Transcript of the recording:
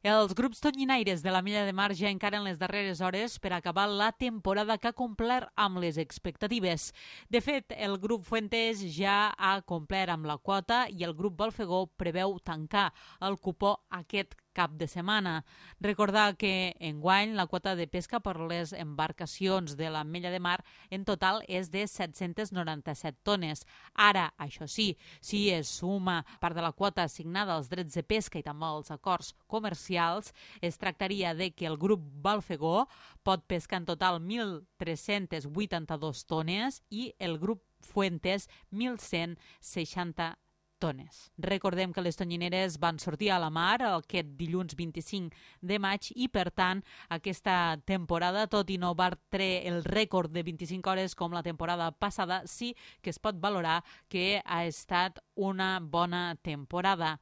Els grups tonyinaires de la Milla de Mar ja encaren les darreres hores per acabar la temporada que ha complert amb les expectatives. De fet, el grup Fuentes ja ha complert amb la quota i el grup Balfegó preveu tancar el cupó aquest cap de setmana. Recordar que enguany la quota de pesca per les embarcacions de la Mella de Mar en total és de 797 tones. Ara, això sí, si es suma part de la quota assignada als drets de pesca i també als acords comercials, es tractaria de que el grup Balfegó pot pescar en total 1.382 tones i el grup Fuentes 1.160 tones. Recordem que les tonyineres van sortir a la mar aquest dilluns 25 de maig i, per tant, aquesta temporada, tot i no batre el rècord de 25 hores com la temporada passada, sí que es pot valorar que ha estat una bona temporada.